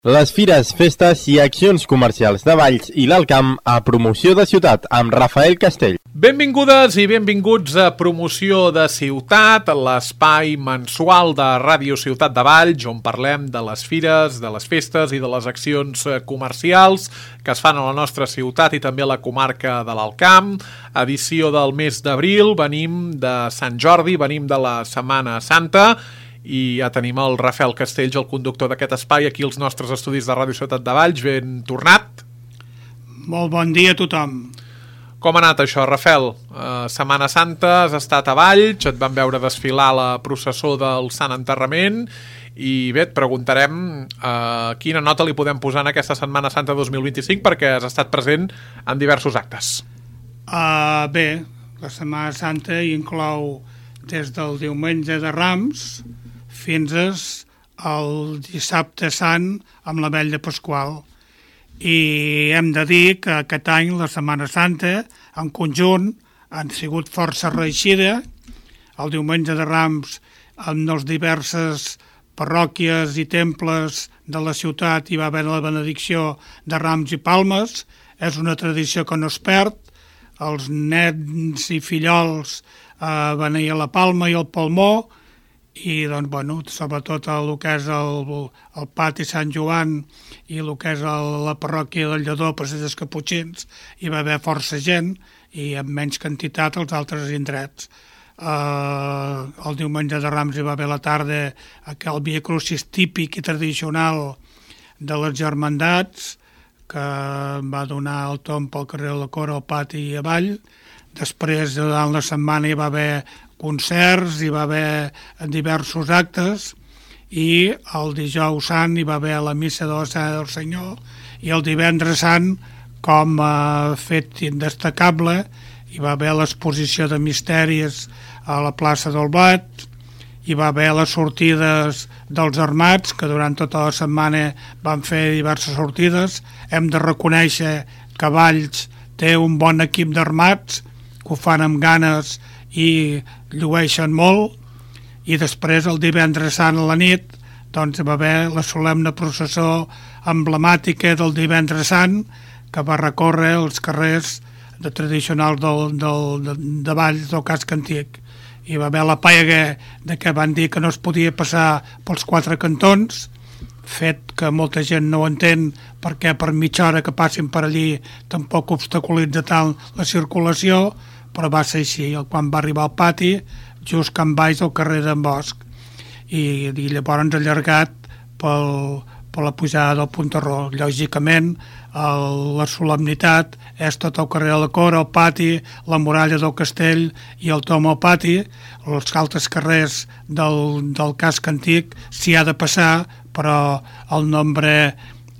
Les fires, festes i accions comercials de Valls i l'Alt Camp a Promoció de Ciutat amb Rafael Castell. Benvingudes i benvinguts a Promoció de Ciutat, l'espai mensual de Ràdio Ciutat de Valls, on parlem de les fires, de les festes i de les accions comercials que es fan a la nostra ciutat i també a la comarca de l'Alt Camp. Edició del mes d'abril, venim de Sant Jordi, venim de la Setmana Santa, i ja tenim el Rafael Castells, el conductor d'aquest espai, aquí als nostres estudis de Ràdio Ciutat de Valls. Ben tornat. Molt bon dia a tothom. Com ha anat això, Rafael? Setmana Santa, has estat a Valls, et van veure desfilar la processó del Sant Enterrament i bé, et preguntarem quina nota li podem posar en aquesta Setmana Santa 2025 perquè has estat present en diversos actes. Bé, la Setmana Santa inclou des del diumenge de Rams fins al dissabte sant amb la vetlla pasqual. I hem de dir que aquest any la Setmana Santa en conjunt han sigut força reeixida. El diumenge de Rams en les diverses parròquies i temples de la ciutat hi va haver la benedicció de rams i palmes. És una tradició que no es perd. Els nens i fillols beneir la palma i el palmó, i doncs, bueno, sobretot el que és el pati Sant Joan i el que és la parròquia del Lledó, Passeig dels Caputxins, hi va haver força gent i amb menys quantitat als altres indrets. El diumenge de Rams hi va haver a la tarda el Via Crucis típic i tradicional de les germandats, que va donar el tomb pel carrer de la Cora, al pati i avall. Després, durant la setmana, hi va haver concerts, hi va haver diversos actes, i el dijous sant hi va haver la missa de la Cena del Senyor, i el divendres sant, com a fet indestacable, hi va haver l'exposició de misteris a la plaça del Blat, hi va haver les sortides dels armats, que durant tota la setmana van fer diverses sortides. Hem de reconèixer que Valls té un bon equip d'armats, que ho fan amb ganes i llueixen molt. I després, el divendres sant a la nit, doncs va haver la solemne processó emblemàtica del divendres sant, que va recórrer els carrers tradicionals de Valls, del casc antic. Hi va haver la pega de que van dir que no es podia passar pels quatre cantons, fet que molta gent no ho entén, perquè per mitja hora que passin per allí tampoc obstaculitza tant la circulació, però va ser així. Quan va arribar al pati, just can baix al carrer d'en Bosch, i llavors allargat per la pujada del Puntarró. Lògicament, la solemnitat és tot el carrer de la Cora, el pati, la muralla del castell i el tom al pati. Els altres carrers del casc antic s'hi ha de passar, però el nombre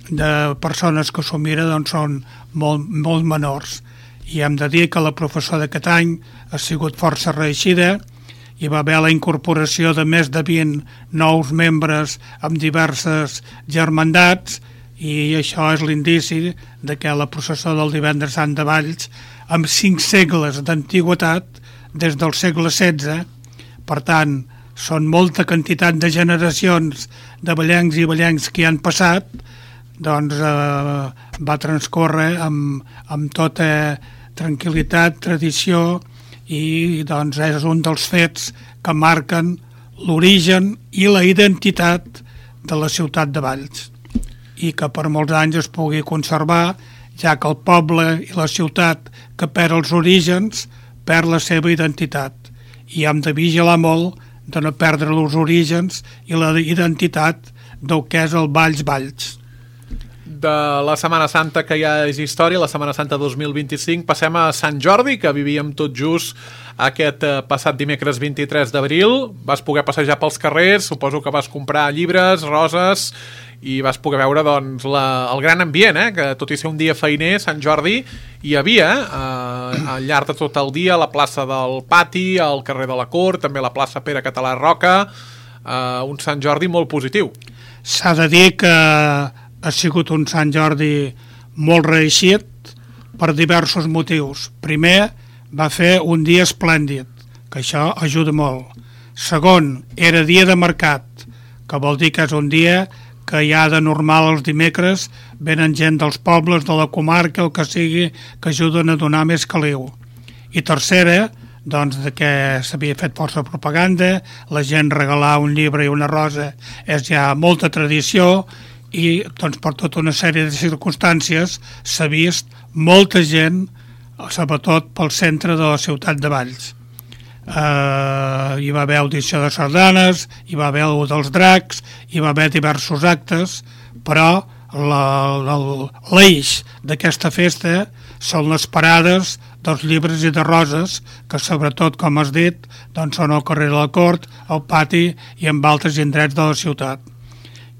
de persones que s'ho mira doncs, són molt menors. I hem de dir que la professó d'aquest any ha sigut força reeixida. Hi va haver la incorporació de més de 20 nous membres amb diverses germandats, i això és l'indici de que la processó del divendres sant de Valls, amb 5 segles d'antigüitat, des del segle XVI, per tant, són molta quantitat de generacions de vallencs i vallencs que hi han passat, doncs va transcórrer amb tota tranquil·litat, tradició, i doncs és un dels fets que marquen l'origen i la identitat de la ciutat de Valls, i que per molts anys es pugui conservar, ja que el poble i la ciutat que perd els orígens perd la seva identitat, i hem de vigilar molt de no perdre els orígens i la identitat del que és el Valls. De la Setmana Santa, que ja és història, la Setmana Santa 2025, passem a Sant Jordi, que vivíem tot just aquest passat dimecres 23 d'abril. Vas poder passejar pels carrers, suposo que vas comprar llibres, roses, i vas poder veure doncs, el gran ambient, que tot i ser un dia feiner, Sant Jordi, hi havia al llarg de tot el dia a la plaça del Pati, al carrer de la Cort, també a la plaça Pere Català Roca, un Sant Jordi molt positiu. S'ha de dir que ha sigut un Sant Jordi molt reeixit per diversos motius. Primer, va fer un dia esplèndid, que això ajuda molt. Segon, era dia de mercat, que vol dir que és un dia que ja de normal els dimecres venen gent dels pobles, de la comarca, el que sigui, que ajuden a donar més caliu. I tercera, doncs de que s'havia fet força propaganda, la gent regalar un llibre i una rosa és ja molta tradició, i doncs per tota una sèrie de circumstàncies s'ha vist molta gent, sobretot pel centre de la ciutat de Valls. Hi va haver audició de sardanes, hi va haver el dels dracs, hi va haver diversos actes, però l'eix d'aquesta festa són les parades dels llibres i de roses, que sobretot, com has dit, doncs són al carrer de la Cort, al pati i en altres indrets de la ciutat,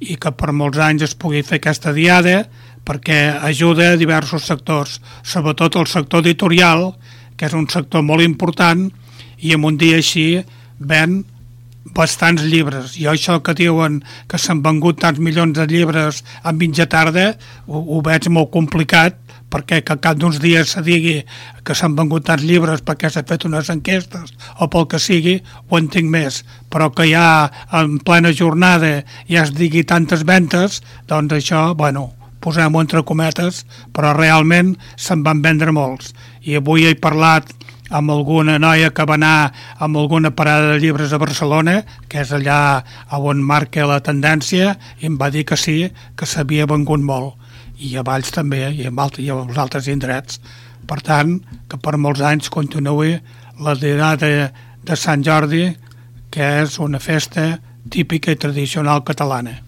i que per molts anys es pugui fer aquesta diada perquè ajuda a diversos sectors, sobretot el sector editorial, que és un sector molt important, i en un dia així ven bastants llibres. I això que diuen que s'han vengut tants milions de llibres en mitja tarda, ho veig molt complicat, perquè que cap d'uns dies se digui que s'han vengut tants llibres perquè s'ha fet unes enquestes o pel que sigui, ho entenc més, però que ja en plena jornada ja es digui tantes ventes, doncs això, bueno, posem-ho entre cometes, però realment se'n van vendre molts. I avui he parlat amb alguna noia que va anar amb alguna parada de llibres a Barcelona, que és allà on marca la tendència, i em va dir que sí, que s'havia vengut molt. I a Valls també, i als altres indrets. Per tant, que per molts anys continuï la diada de Sant Jordi, que és una festa típica i tradicional catalana.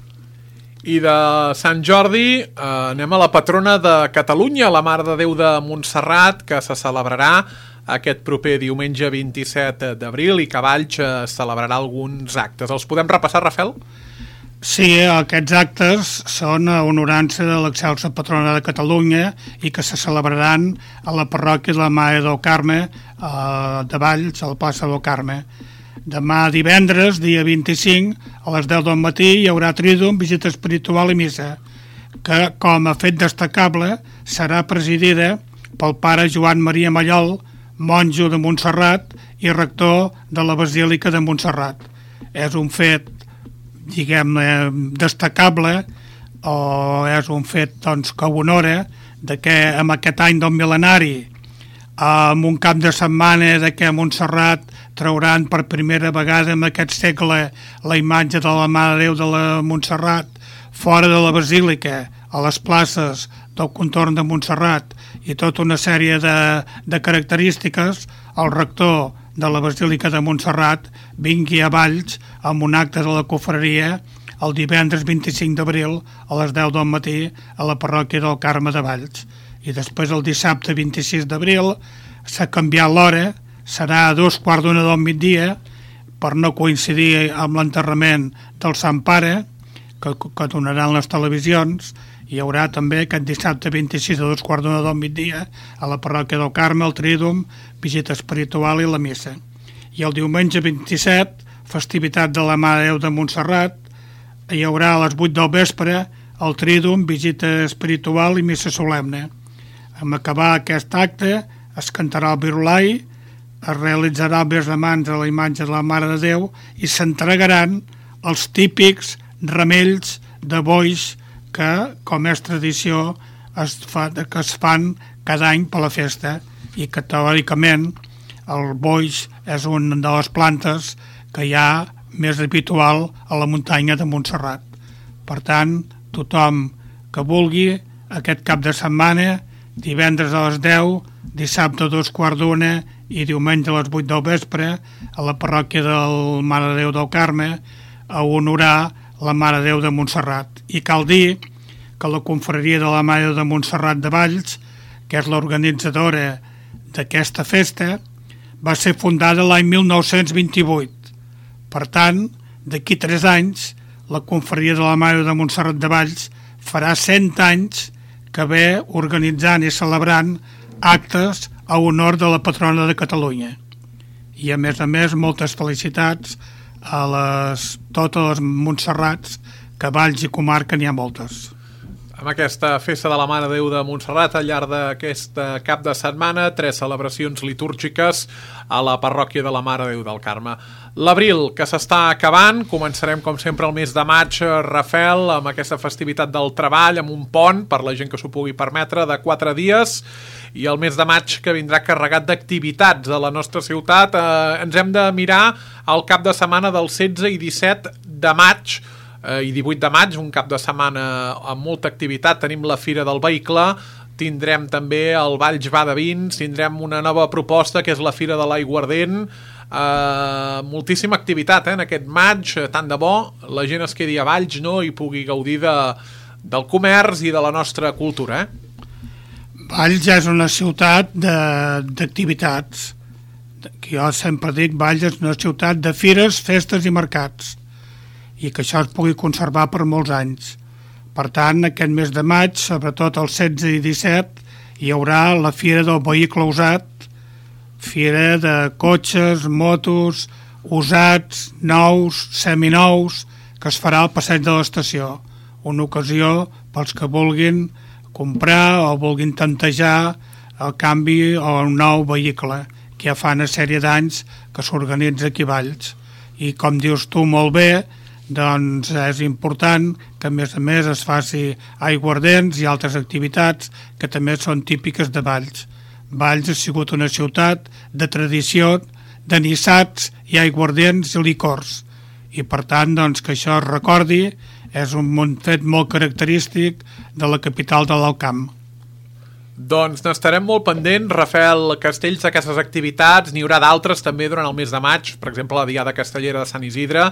I de Sant Jordi anem a la patrona de Catalunya, la Mare de Déu de Montserrat, que se celebrarà aquest proper diumenge 27 d'abril i que a Valls celebrarà alguns actes. Els podem repassar, Rafael? Sí, aquests actes són a honorança de l'excelsa patrona de Catalunya i que se celebraran a la parròquia de la Mare del Carme de Valls, al plaça del Carme. Demà divendres, dia 25, a les 10 del matí hi haurà trídum, visita espiritual i missa, que com a fet destacable serà presidida pel pare Joan Maria Mallol, monjo de Montserrat i rector de la Basílica de Montserrat. És un fet, diguem-ne, destacable, o és un fet doncs, que honora de que en aquest any del mil·lenari, amb un cap de setmana de que a Montserrat trauran per primera vegada en aquest segle la imatge de la Mare de Déu de la Montserrat fora de la Basílica, a les places del contorn de Montserrat i tota una sèrie de característiques, el rector de la Basílica de Montserrat vingui a Valls amb un acte de la cofreria el divendres 25 d'abril a les 10 del matí a la parròquia del Carme de Valls. I després el dissabte 26 d'abril s'ha canviat l'hora, serà a 2:15 del migdia per no coincidir amb l'enterrament del Sant Pare que donaran les televisions. Hi haurà també aquest dissabte 26 a 2:15 del migdia a la parròquia del Carme, el trídum, visita espiritual i la missa. I el diumenge 27, festivitat de la Mare de Déu de Montserrat, hi haurà a les 8 del vespre el trídum, visita espiritual i missa solemne. En acabar aquest acte es cantarà el virulai, es realitzarà el bes de mans a la imatge de la Mare de Déu i s'entregaran els típics ramells de boix que, com és tradició, que es fan cada any per la festa i que teòricament el boix és una de les plantes que hi ha més habitual a la muntanya de Montserrat. Per tant, tothom que vulgui aquest cap de setmana, divendres a les 10, dissabte a 2:15 i diumenge a les 8 del vespre a la parròquia del Mare de Déu del Carme a honorar la Mare de Déu de Montserrat. I cal dir que la confraria de la Mare de Déu de Montserrat de Valls, que és l'organitzadora d'aquesta festa, va ser fundada l'any 1928. Per tant, d'aquí 3 anys, la confraria de la Mare de Déu de Montserrat de Valls farà 100 anys que ve organitzant i celebrant actes a honor de la patrona de Catalunya. I a més, moltes felicitats a totes les Montserrats, que a Valls i comarca n'hi ha moltes. Amb aquesta festa de la Mare de Déu de Montserrat, al llarg d'aquest cap de setmana, 3 celebracions litúrgiques a la parròquia de la Mare de Déu del Carme. L'abril, que s'està acabant, començarem com sempre el mes de maig, Rafael, amb aquesta festivitat del treball, amb un pont, per la gent que s'ho pugui permetre, de 4 dies, i el mes de maig que vindrà carregat d'activitats a la nostra ciutat. Ens hem de mirar el cap de setmana del 16 i 17 de maig, i 18 de maig, un cap de setmana amb molta activitat. Tenim la Fira del Vehicle, tindrem també el Valls Va de Vins, tindrem una nova proposta que és la Fira de l'Aiguardent, moltíssima activitat en aquest maig, tant de bo la gent es quedi a Valls, no?, i pugui gaudir del comerç i de la nostra cultura. Valls ja és una ciutat d'activitats. Jo sempre dic, Valls és una ciutat de fires, festes i mercats, i que això es pugui conservar per molts anys. Per tant, aquest mes de maig, sobretot el 16 i 17, hi haurà la Fira del Vehicle Usat, fira de cotxes, motos, usats, nous, seminous, que es farà al passeig de l'estació. Una ocasió pels que vulguin comprar o vulguin tantejar el canvi o un nou vehicle, que ja fa una sèrie d'anys que s'organitza aquí a Valls. I com dius tu molt bé, doncs és important que a més es faci aiguardents i altres activitats que també són típiques de Valls. Valls ha sigut una ciutat de tradició, de nissats i aiguardents i licors, i per tant doncs, que això es recordi és un fet molt característic de la capital de l'Alt Camp. Doncs n'estarem molt pendents, Rafael Castells, d'aquestes activitats. N'hi haurà d'altres també durant el mes de maig, per exemple la Diada Castellera de Sant Isidre,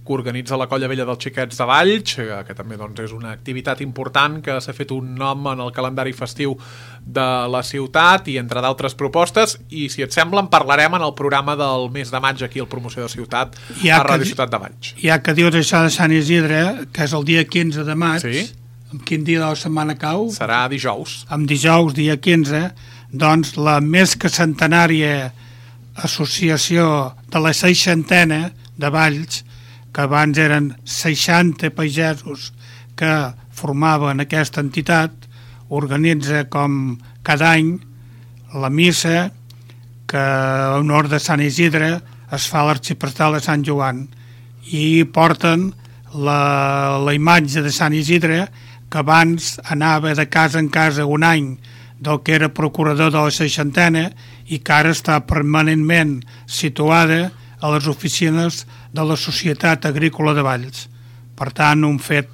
que organitza la Colla Vella dels Xiquets de Valls, que també doncs, és una activitat important que s'ha fet un nom en el calendari festiu de la ciutat, i entre d'altres propostes, i si et sembla en parlarem en el programa del mes de maig aquí al Promoció de Ciutat, a Ràdio Ciutat de Valls. Ja que dius això de Sant Isidre, que és el dia 15 de maig, sí? Quin dia de la setmana cau? Serà dijous. Amb dijous, dia 15, doncs la més que centenària associació de la 60a de Valls, que abans eren 60 pagesos que formaven aquesta entitat, organitza com cada any la missa que en honor de Sant Isidre es fa a l'arxiprestal de Sant Joan, i porten la imatge de Sant Isidre, que abans anava de casa en casa un any del que era procurador de la 60a i que ara està permanentment situada a les oficines de la Societat Agrícola de Valls. Per tant, un fet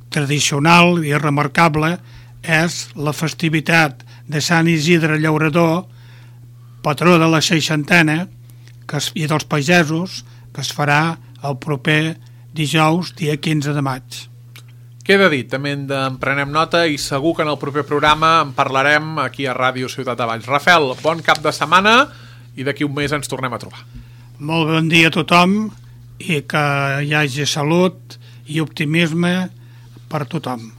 tradicional i remarcable és la festivitat de Sant Isidre Llaurador, patró de la 60a i dels pagesos, que es farà el proper dijous, dia 15 de maig. Queda dit, també en prenem nota, i segur que en el proper programa en parlarem aquí a Ràdio Ciutat de Valls. Rafael, bon cap de setmana, i d'aquí un mes ens tornem a trobar. Molt bon dia a tothom, i que hi hagi salut i optimisme per tothom.